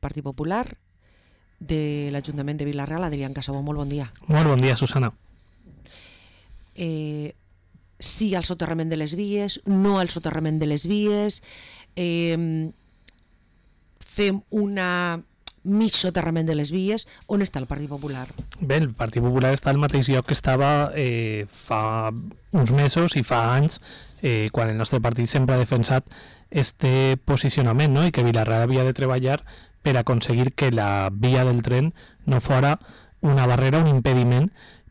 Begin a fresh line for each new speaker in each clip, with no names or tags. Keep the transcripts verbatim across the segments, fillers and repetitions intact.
Partit Popular de l'Ajuntament de Vila-real, Adrián Casabó, molt bon dia.
Molt bon dia, Susana.
Eh, sí al soterrament de les vies, no al soterrament de les vies, eh, fem una mig soterrament de les vies. On està el Partit Popular?
Bé, el Partit Popular està al mateix lloc que estava eh, fa uns mesos i fa anys, eh, quan el nostre partit sempre ha defensat este posicionament, no? I que Vila-real havia de treballar per aconseguir que la via del tren no fora una barrera, un impediment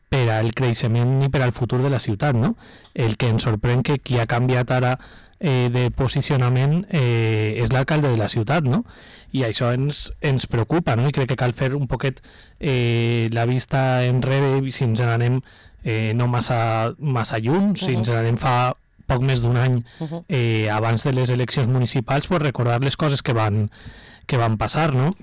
per al creixement i per al futur de la ciutat, no? El que ens sorprèn que qui ha canviat ara eh, de posicionament eh, és l'alcalde de la ciutat, no? I això ens, ens preocupa, no? I crec que cal fer un poquet eh, la vista enrere, si ens n'anem eh, no massa, massa lluny, si ens n'anem fa poc més d'un any eh, abans de les eleccions municipals, pues recordar les coses que van, que van passar, no?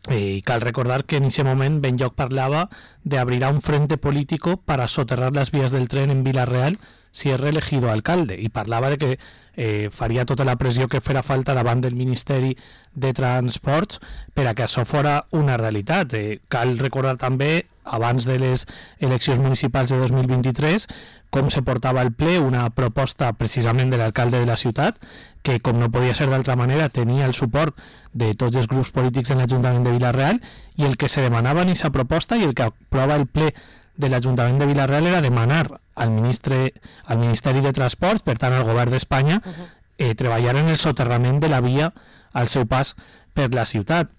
Eh, y cal recordar que en ese momento Benlloch parlava de abrir un frente político para soterrar las vías del tren en Vila-real si es reelegido alcalde, y parlava de que eh, faria tota la pressió que fera falta davant del Ministeri de Transports per a que això fora una realitat. Eh, cal recordar també, abans de les eleccions municipals de dos mil vint-i-tres, com se portava al ple una proposta precisament de l'alcalde de la ciutat, que, com no podia ser d'altra manera, tenia el suport de tots els grups polítics en l'Ajuntament de Vila-real, i el que se demanava en aquesta proposta i el que aprova el ple de l'Ajuntament de Vila-real era demanar al, ministre, al Ministeri de Transports, per tant al govern d'Espanya, uh-huh. eh, treballar en el soterrament de la via al seu pas per la ciutat.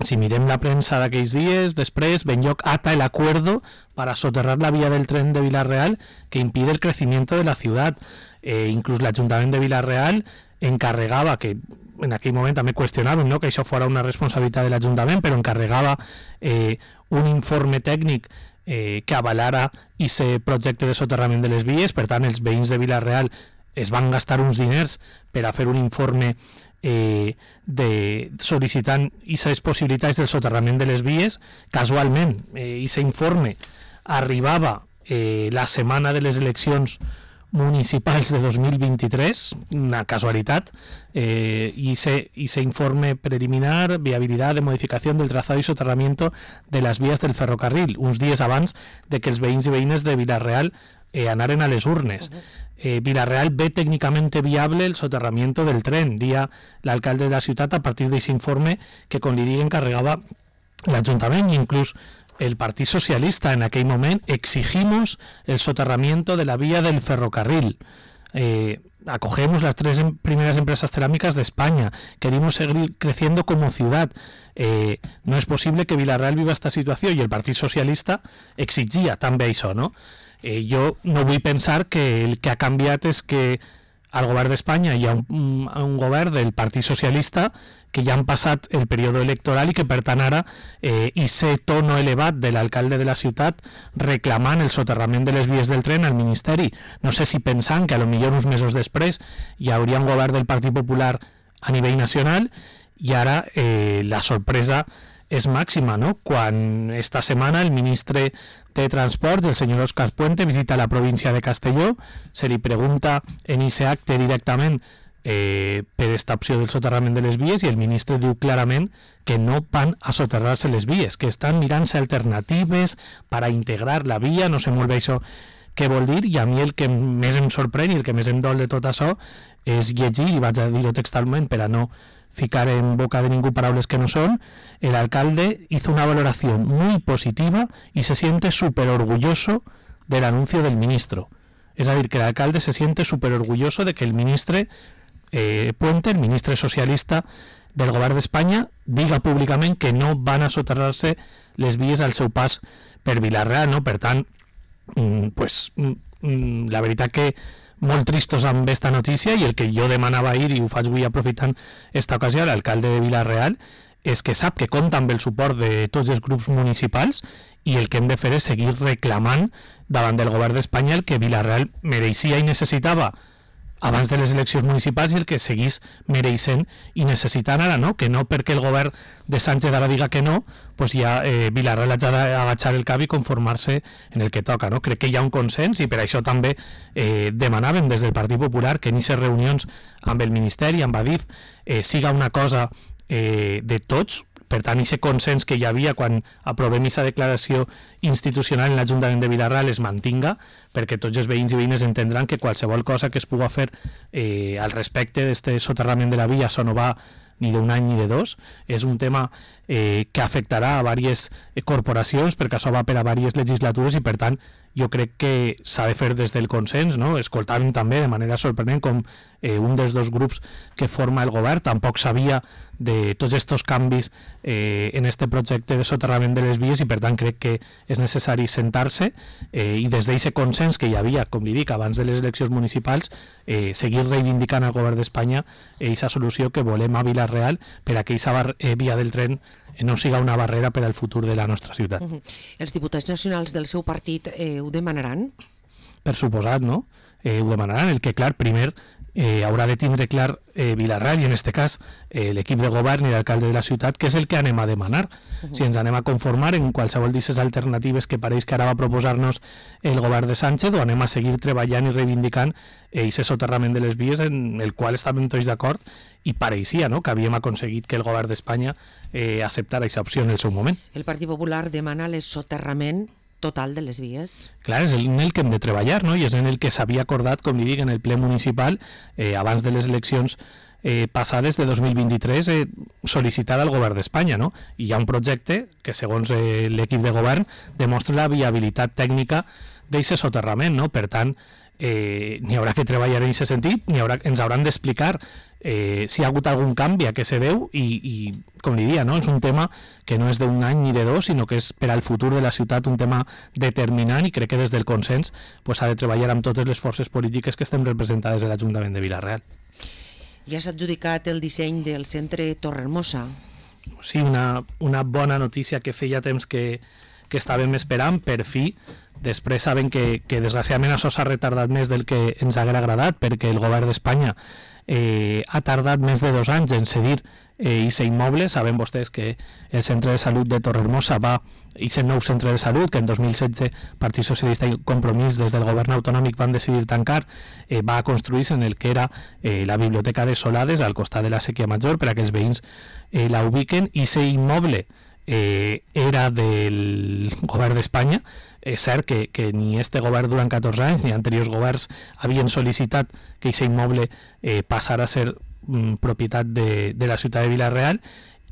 Si mirem la premsa d'aquells dies, després Benlloch ata el acuerdo para soterrar la vía del tren de Vila-real que impide el crecimiento de la ciudad. Eh, inclús l'Ajuntament de Vila-real encarregava, que en aquell moment també qüestionàvem, no?, que això fora una responsabilitat de l'Ajuntament, però encarregava eh, un informe tècnic eh, que avalara aquest projecte de soterrament de les vies. Per tant, els veïns de Vila-real es van gastar uns diners per a fer un informe eh, de, sol·licitant aquestes possibilitats del soterrament de les vies. Casualment, aquest eh, informe arribava eh, la setmana de les eleccions municipals de dos mil vint-i-tres, una casualitat, eh, y ese, ese informe preliminar, viabilidad de modificación del trazado y soterramiento de las vías del ferrocarril, uns dies abans de que els veïns i veïnes de Vila-real eh, anaren a les urnes. Uh-huh. eh, Vila-real ve técnicamente viable el soterramiento del tren, dia l'alcalde de la ciutat a partir d'aquest informe que, com li dic, encarregava l'Ajuntament, i inclús el Partit Socialista en aquell moment exigimos el soterramiento de la vía del ferrocarril. Eh, acogemos las tres em- primeras empresas cerámicas de España. Queremos seguir creciendo como ciudad. Eh, no es posible que Vila-real viva esta situación, y el Partit Socialista exigia també això, no? Eh, jo no vull pensar que el que ha canviat és que al govern d'Espanya hi ha un, un govern del Partit Socialista que ja han passat el període electoral i que, per tant, ara eh, ese tono elevat de l'alcalde de la ciutat reclamant el soterrament de les vies del tren al Ministeri. No sé si pensant que a lo millor uns mesos després hi hauria un govern del Partit Popular a nivell nacional, i ara eh, la sorpresa és màxima, no? Quan esta setmana el ministre de Transports, el senyor Òscar Puente, visita la província de Castelló, se li pregunta en ese acte directament eh, per esta opció del soterrament de les vies, i el ministre diu clarament que no van a soterrar-se les vies, que estan mirant-se alternatives per a integrar la via. No sé molt bé això què vol dir, i a mi el que més em sorprèn i el que més em dol de tot això és llegir, i vaig a dir-ho textualment per a no ficar en boca de ningú paraules que no son: el alcalde hizo una valoración muy positiva y se siente súper orgulloso del anuncio del ministro. Es decir, que el alcalde se siente súper orgulloso de que el ministre eh, Puente, el ministre socialista del govern d'Espanya, diga públicament que no van a soterrar-se les vies al seu pas per Vila-real, no? Per tant, mm, pues, mm, la veritat que molt tristos amb aquesta notícia, i el que jo demanava ahir, i ho faig avui aprofitant esta ocasió a l'alcalde de Vila-real, és que sap que compta amb el suport de tots els grups municipals, i el que hem de fer és seguir reclamant davant del govern d'Espanya el que Vila-real mereixia i necessitava abans de les eleccions municipals, i el que seguís mereixent i necessitant ara, no? Que no perquè el govern de Sánchez ara diga que no, pues ja eh, Vila-real ha d'agachar el cap i conformar-se en el que toca, no? Crec que hi ha un consens, i per això també eh, demanàvem des del Partit Popular que en aquestes reunions amb el Ministeri, amb Adif, eh, siga una cosa eh, de tots, per tant, aquest consens que hi havia quan aprovem aquesta declaració institucional en l'Ajuntament de Vila-real es mantinga, perquè tots els veïns i veïnes entendran que qualsevol cosa que es pugui fer eh, al respecte d'aquest soterrament de la via, això no va ni d'un any ni de dos, és un tema eh, que afectarà a diverses eh, corporacions, perquè això va per a diverses legislatures i, per tant, jo crec que s'ha de fer des del consens, no? Escoltant també de manera sorprenent com eh, un dels dos grups que forma el govern tampoc sabia de tots aquests canvis eh, en este projecte de soterrament de les vies i, per tant, crec que és necessari sentar-se eh, i des d'aquest consens que hi havia, com li dic, abans de les eleccions municipals, eh, seguir reivindicant al govern d'Espanya aquesta solució que volem a Vila-real per a que aquesta eh, via del tren no siga una barrera per al futur de la nostra ciutat.
Uh-huh. Els diputats nacionals del seu partit eh, ho demanaran?
Per suposat, no? Eh, ho demanaran. El que, clar, primer eh, haurà de tindre clar eh, Vila-real i, en aquest cas, eh, l'equip de govern i l'alcalde de la ciutat, que és el que anem a demanar. Uh-huh. Si ens anem a conformar en qualsevol d'aquestes alternatives que pareix que ara va proposar-nos el govern de Sánchez, o anem a seguir treballant i reivindicant aquest eh, soterrament de les vies en el qual estàvem tots d'acord i pareixia, no?, que havíem aconseguit que el govern d'Espanya eh, acceptara aquesta opció en el seu moment.
El Partit Popular demana el soterrament total de les vies.
Clar, és en el que hem de treballar, no?, i és en el que s'havia acordat, com li dic, en el ple municipal, eh, abans de les eleccions eh, passades de dos mil vint-i-tres, eh, sol·licitar al govern d'Espanya, no? I hi ha un projecte que, segons eh, l'equip de govern, demostra la viabilitat tècnica d'aquest soterrament, no? Per tant, eh, n'hi haurà que treballar en aquest sentit, n'hi haurà, ens hauran d'explicar eh, si hi ha hagut algun canvi a què se deu i, i com li dia, no? És un tema que no és d'un any ni de dos, sinó que és per al futur de la ciutat un tema determinant i crec que des del consens pues, s'ha de treballar amb totes les forces polítiques que estem representades a l'Ajuntament de Vila-real.
Ja s'ha adjudicat el disseny del centre Torrehermosa.
Sí, una, una bona notícia que feia temps que, que estàvem esperant, per fi. Després saben que, que desgraciadament això s'ha retardat més del que ens haguera agradat, perquè el govern d'Espanya eh, ha tardat més de dos anys en cedir aquest eh, immoble. Saben vostès que el centre de salut de Torrehermosa va, aquest nou centre de salut, que en dos mil setze Partit Socialista i Compromís des del govern autonòmic van decidir tancar, eh, va construir-se en el que era eh, la Biblioteca de Solades, al costat de la Sèquia Major, per a que els veïns eh, la ubiquen, i aquest immoble eh, era del govern d'Espanya. És cert que, que ni este govern durant catorze anys ni anteriors governs havien sol·licitat que aquest immoble eh, passara a ser mm, propietat de, de la ciutat de Vila-real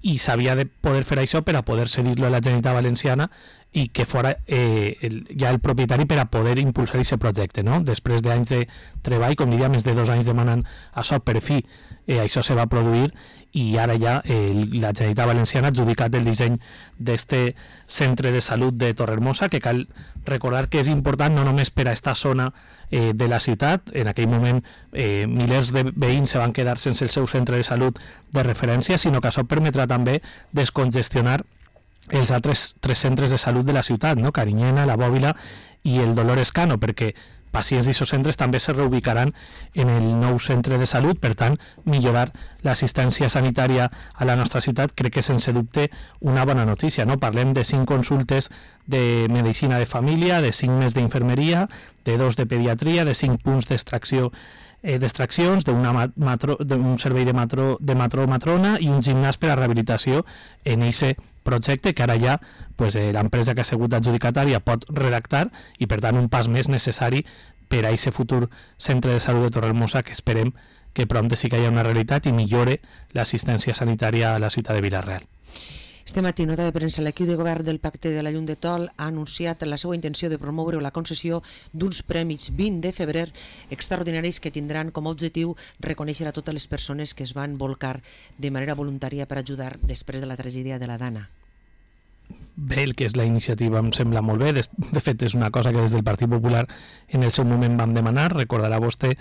i s'havia de poder fer això per a poder cedir-lo a la Generalitat Valenciana i que fora eh, el, ja el propietari per a poder impulsar aquest projecte, no? Després d'anys de treball, com diria, més de dos anys demanant això, per fi eh, això se va produir i ara ja eh, la Generalitat Valenciana ha adjudicat el disseny d'este centre de salut de Torrehermosa, que cal recordar que és important no només per a esta zona eh, de la ciutat. En aquell moment eh, milers de veïns se van quedar sense el seu centre de salut de referència, sinó que això permetrà també descongestionar els altres tres centres de salut de la ciutat, no? Carinyena, la Bòbila i el Dolores Cano, perquè pacients d'aquests centres també se reubicaran en el nou centre de salut. Per tant, millorar l'assistència sanitària a la nostra ciutat crec que sense dubte una bona notícia, no? Parlem de cinc consultes de medicina de família, de cinc més d'infermeria, de dos de pediatria, de cinc punts d'extracció eh, d'extraccions, d'un servei de matro, de matro matrona i un gimnàs per a rehabilitació en aquest projecte que ara ja pues, eh, l'empresa que ha sigut adjudicatària pot redactar i per tant un pas més necessari per a aquest futur centre de salut de Torrehermosa que esperem que prompte sí que hi ha una realitat i millore l'assistència sanitària a la ciutat de Vila-real.
Este matí, nota de premsa, l'equip de govern del Pacte de la Llum de Tol ha anunciat la seva intenció de promoure la concessió d'uns prèmits vint de febrer extraordinaris que tindran com a objectiu reconèixer a totes les persones que es van volcar de manera voluntària per ajudar després de la tragèdia de la Dana.
Bé, el que és la iniciativa em sembla molt bé. De, de fet, és una cosa que des del Partit Popular en el seu moment vam demanar. Recordarà vostè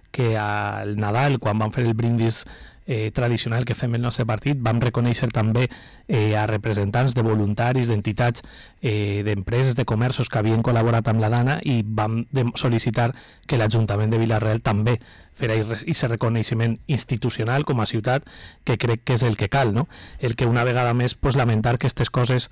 que al Nadal, quan vam fer el brindis eh, tradicional que fem el nostre partit, vam reconèixer també eh, a representants de voluntaris, d'entitats, eh, d'empreses, de comerços que havien col·laborat amb la Dana i vam sol·licitar que l'Ajuntament de Vila-real també fer aquest reconeixement institucional com a ciutat, que crec que és el que cal, no? El que una vegada més pues, lamentar que aquestes coses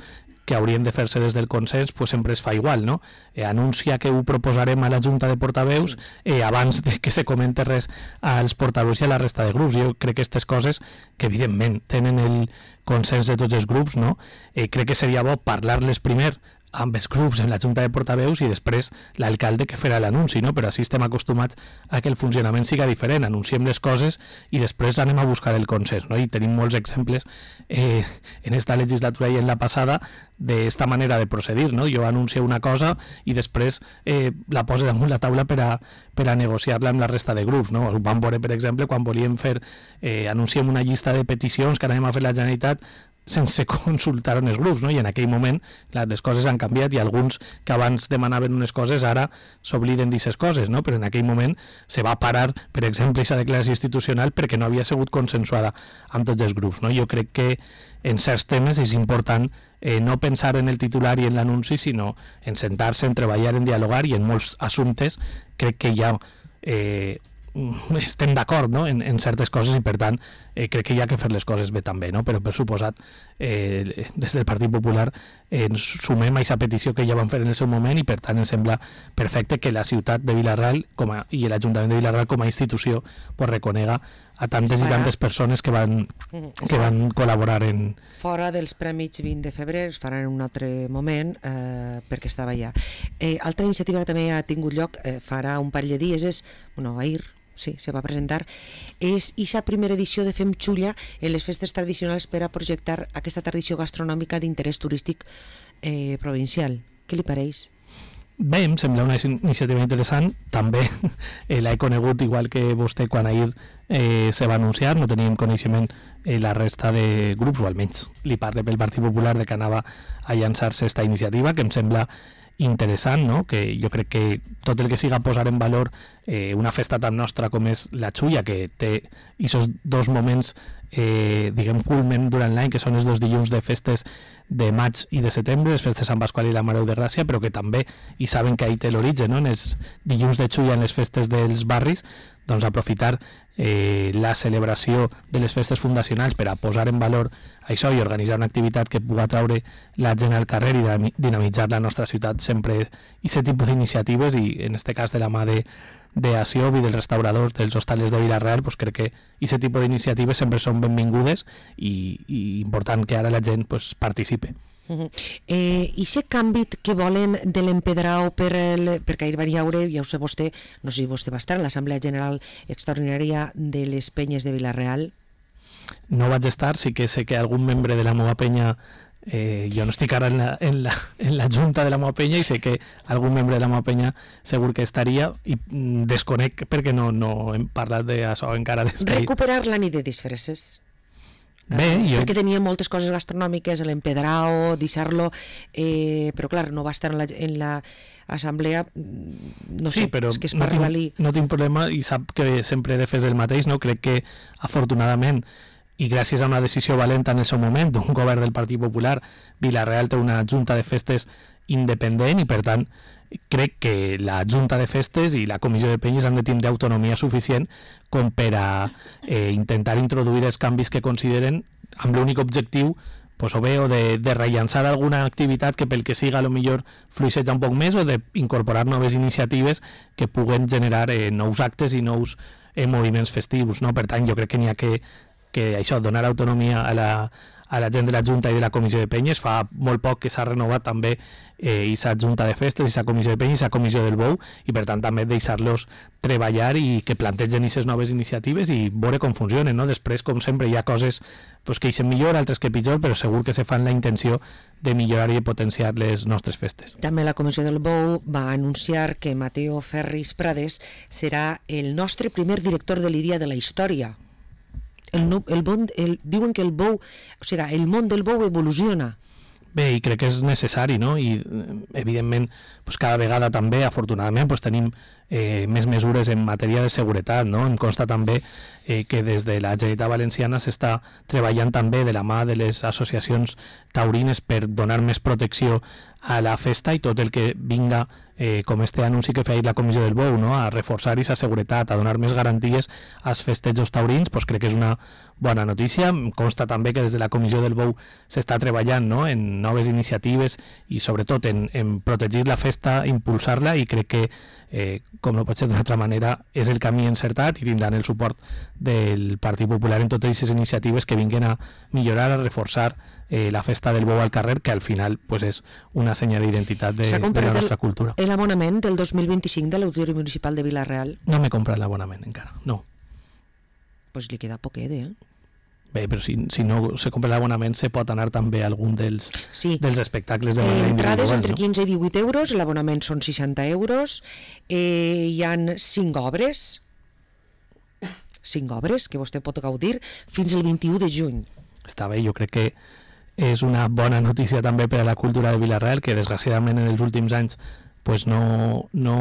que haurien de fer-se des del consens, pues sempre es fa igual, no? Eh, anuncia que ho proposarem a la Junta de Portaveus sí. eh, abans de que se comente res als portaveus i a la resta de grups. Jo crec que aquestes coses, que evidentment tenen el consens de tots els grups, no? Eh, crec que seria bo parlar-les primer amb els grups en la Junta de Portaveus i després l'alcalde que farà l'anunci, no? Però així estem acostumats a que el funcionament siga diferent, anunciem les coses i després anem a buscar el consens, no? I tenim molts exemples eh, en esta legislatura i en la passada d'esta manera de procedir, no? Jo anuncio una cosa i després eh, la poso damunt la taula per a, per a negociar-la amb la resta de grups, no? Ho vam veure, per exemple, quan volíem fer, eh, anunciem una llista de peticions que anem a fer la Generalitat sense consultar els grups, no? I en aquell moment clar, les coses han canviat i alguns que abans demanaven unes coses ara s'obliden d'aquestes coses, no? Però en aquell moment se va parar, per exemple, aquesta declaració institucional perquè no havia sigut consensuada amb tots els grups, no? Jo crec que en certs temes és important eh, no pensar en el titular i en l'anunci, sinó en sentar-se, en treballar, en dialogar, i en molts assumptes crec que hi ha eh, estem d'acord, no? en, en certes coses i per tant eh, crec que hi ha que fer les coses bé també, no? Però per suposat eh, des del Partit Popular eh, ens sumem a aquesta petició que ja van fer en el seu moment i per tant ens sembla perfecte que la ciutat de Vila-real com a, i l'Ajuntament de Vila-real com a institució pues, reconega a tantes i tantes persones que van, que van col·laborar en...
Fora dels Premis vint de febrer es faran en un altre moment eh, perquè estava allà. Eh, altra iniciativa que també ha tingut lloc eh, farà un parell de dies és, bueno, ahir sí, se va presentar, és aquesta primera edició de Fem Xulla en les festes tradicionals per a projectar aquesta tradició gastronòmica d'interès turístic eh, provincial. Què li pareix?
Bé, em sembla una iniciativa interessant. També eh, l'he conegut igual que vostè quan ahir eh, se va anunciar. No teníem coneixement eh, la resta de grups, o almenys li parle pel Partit Popular de que anava a llançar-se aquesta iniciativa, que em sembla interessant, no? Que jo crec que tot el que siga posar en valor eh, una festa tan nostra com és la Xulla, que té aquests dos moments eh, diguem culmen durant l'any, que són els dos dilluns de festes de maig i de setembre, les festes Sant Pasqual i la Mare de Gràcia, però que també, i saben que ahí té l'origen, no? En els dilluns de Xulla, en les festes dels barris, doncs aprofitar eh, la celebració de les festes fundacionals per a posar en valor això i organitzar una activitat que pugui atraure la gent al carrer i dinamitzar la nostra ciutat sempre, i aquest tipus d'iniciatives, i en este cas de la mà de, de Asiob i dels restauradors dels hostales de Vila-real, pues crec que aquest tipus d'iniciatives sempre són benvingudes i, i important que ara la gent pues, participe.
Uh-huh. Eh, I aquest canvi que volen de l'empedrau per el, perquè ahir van llaure, ja ho sé vostè, no sé si vostè va estar en l'Assemblea General Extraordinària de les Penyes de Vila-real?
No vaig estar, sí que sé que algun membre de la meva penya, eh, jo no estic ara en la, en, la, en la junta de la meva penya i sé que algun membre de la meva penya segur que estaria, i mm, desconec perquè no, no hem parlat d'això encara des d'ahir.
Recuperar la nit de disfresses.
Bé, jo...
perquè tenia moltes coses gastronòmiques, l'empedrao, deixar-lo, eh, però clar, no va estar en la, en la assemblea, no
sí,
sé,
però
és que és
no
per
tinc,
arribar-li...
no tinc problema i sap que sempre he de fer el mateix, no? Crec que afortunadament i gràcies a una decisió valenta en el seu moment d'un govern del Partit Popular, Vila-real té una junta de festes independent i per tant crec que la Junta de Festes i la Comissió de Penyes han de tindre autonomia suficient com per a eh, intentar introduir els canvis que consideren amb l'únic objectiu pues, o bé o de, de rellançar alguna activitat que pel que siga a lo millor fluixeja un poc més o d'incorporar noves iniciatives que puguen generar eh, nous actes i nous eh, moviments festius, no? Per tant, jo crec que n'hi ha que, que això, donar autonomia a la, a la gent de la Junta i de la Comissió de Penyes. Fa molt poc que s'ha renovat també eh, aquesta Junta de Festes, aquesta Comissió de Penyes, aquesta Comissió del Bou, i per tant també deixar-los treballar i que plantegen aquestes noves iniciatives i veure com funcionen, no? Després, com sempre, hi ha coses pues, que eixen millor, altres que pitjor, però segur que se fan la intenció de millorar i potenciar les nostres festes.
També la Comissió del Bou va anunciar que Mateo Ferris Prades serà el nostre primer director de l'I D I A de la història. El, no, el, bon, el, diuen que el bou, o sigui, el món del bou evoluciona.
Bé, i crec que és necessari, no? I evidentment pues, cada vegada també, afortunadament, pues, tenim eh, més mesures en matèria de seguretat, no? Em consta també eh, que des de la Generalitat Valenciana s'està treballant també de la mà de les associacions taurines per donar més protecció a la festa i tot el que vinga, eh, com este anunci que feia la Comissió del Bou, no? A reforçar aquesta seguretat, a donar més garanties als festejos taurins, pues crec que és una bona notícia. Em consta també que des de la Comissió del Bou s'està treballant, no? En noves iniciatives i sobretot en, en protegir la festa, impulsar-la, i crec que, eh, com no pot ser d'una altra manera, és el camí encertat i tindran el suport del Partit Popular en totes aquestes iniciatives que vinguin a millorar, a reforçar eh, la festa del bou al carrer, que al final pues, és una senyal d'identitat de, de la nostra cultura.
El, l'abonament del dos mil vint-i-cinc de l'Auditori Municipal de Vila-real?
No m'he comprat l'abonament encara, no.
Pues li queda poquet, eh?
Bé, però si, si no se compra l'abonament se pot anar també a algun dels,
sí.
dels espectacles de manera
entrades
individual.
Entre
no?
quinze i divuit euros, l'abonament són seixanta euros, eh, hi han cinc obres, cinc obres que vostè pot gaudir fins al vint-i-u de juny.
Està bé, jo crec que és una bona notícia també per a la cultura de Vila-real, que desgraciadament en els últims anys pues no, no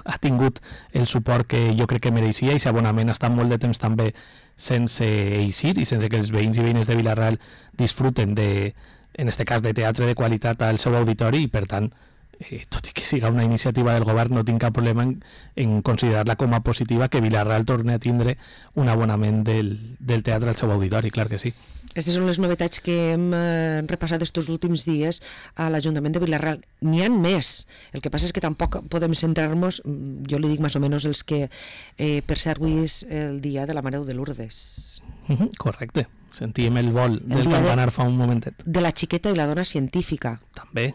ha tingut el suport que jo crec que mereixia, i l'abonament ha estat molt de temps també sense eixir i sense que els veïns i veïnes de Vila-real disfruten de, en este cas, de teatre de qualitat al seu auditori, i per tant, eh, tot i que siga una iniciativa del govern, no tinc cap problema en, en considerar-la com a positiva, que Vila-real torni a tindre un abonament del, del teatre al seu auditori, clar que sí.
Aquestes són les novetats que hem eh, repassat estos últims dies a l'Ajuntament de Vila-real. N'hi ha més. El que passa és que tampoc podem centrar-nos, jo li dic més o menys els que, eh, per ser avui és el dia de la Mare de Lourdes.
Uh-huh, correcte. Sentíem el vol
el
del campanar
de,
fa un momentet.
De la xiqueta i la dona científica.
També.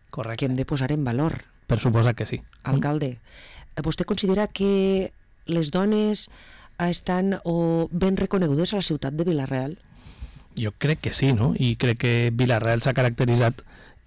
Correcte.
Que hem de posar en valor.
Per suposar que sí.
Alcalde, vostè considera que les dones estan o ben reconegudes a la ciutat de Vila-real?
Jo crec que sí, no? I crec que Vila-real s'ha caracteritzat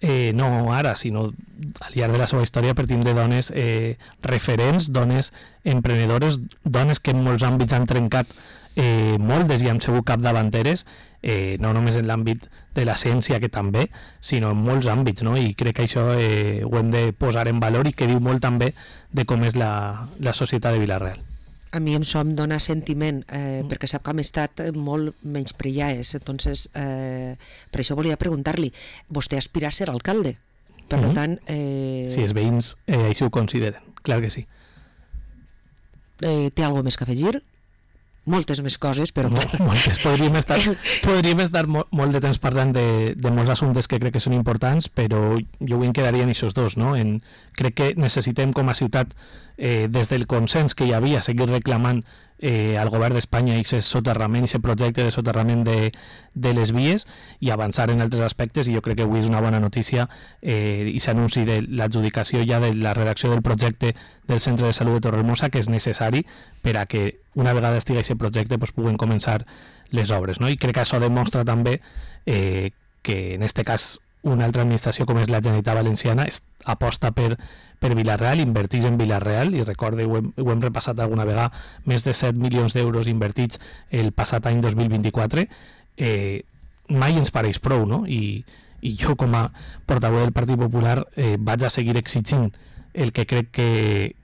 eh, no ara, sinó al llarg de la seva història per tindre dones eh, referents, dones emprenedores, dones que en molts àmbits han trencat eh, moltes i han sigut capdavanteres, eh, no només en l'àmbit de la ciència, que també, sinó en molts àmbits, no? I crec que això eh, ho hem de posar en valor, i que diu molt també de com és la, la societat de Vila-real.
A mi em som dona sentiment, eh, mm. perquè sap que hem estat molt menyspreades, entonces eh, per això volia preguntar-li, vostè aspira a ser alcalde, per mm-hmm. tant... Eh...
Sí, els veïns eh, així ho consideren, clar que sí.
Eh, té alguna més que afegir? Moltes més coses, però...
No, moltes. Podríem estar, podríem estar molt, molt de temps parlant de, de molts assumptes que crec que són importants, però jo avui em quedaria en aquests dos, no? En, crec que necessitem com a ciutat, eh, des del consens que hi havia, seguir reclamant eh, al govern d'Espanya i aquest soterrament, aquest projecte de soterrament de, de les vies, i avançar en altres aspectes, i jo crec que avui és una bona notícia eh, i s'anunci de l'adjudicació ja de la redacció del projecte del Centre de Salut de Torrehermosa, que és necessari per a que una vegada estigui aquest projecte pues, puguen començar les obres, no? I crec que això demostra també eh, que en aquest cas una altra administració com és la Generalitat Valenciana aposta per, per Vila-real, invertix en Vila-real, i recorde, ho hem, ho hem repassat alguna vegada, més de set milions d'euros invertits el passat any dos mil vint-i-quatre, eh, mai ens pareix prou, no? I, i jo com a portaveu del Partit Popular eh, vaig a seguir exigint el que crec que,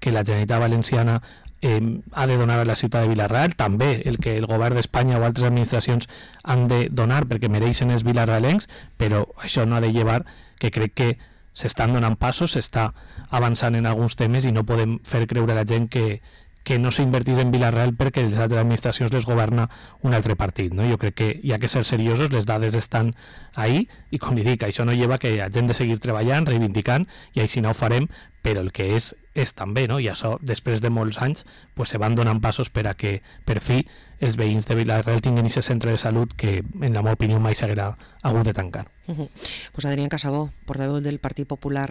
que la Generalitat Valenciana eh, ha de donar a la ciutat de Vila-real, també el que el govern d'Espanya o altres administracions han de donar perquè mereixen els vilarrealencs, però això no ha de llevar que crec que s'estan donant passos, s'està avançant en alguns temes, i no podem fer creure a la gent que, que no s'invertís en Vila-real perquè les altres administracions les governa un altre partit, no? Jo crec que hi ha que ser seriosos, les dades estan ahí, i com li dic, això no lleva que hi ha gent de seguir treballant, reivindicant, i així no ho farem, però el que és, és també, no? I això, després de molts anys, pues, se van donant passos per a que, per fi, els veïns de Vila-real tinguin aquest centre de salut que, en la meva opinió, mai s'haguera hagut de tancar.
Uh-huh. Pues Adrián Casabó, portaveu del Partit Popular,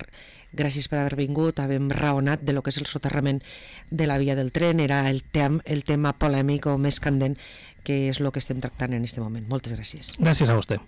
gràcies per haver vingut, havem raonat de lo que és el soterrament de la via del tren, era el, tem, el tema polèmic o més candent, que és el que estem tractant en aquest moment. Moltes gràcies.
Gràcies a vostè.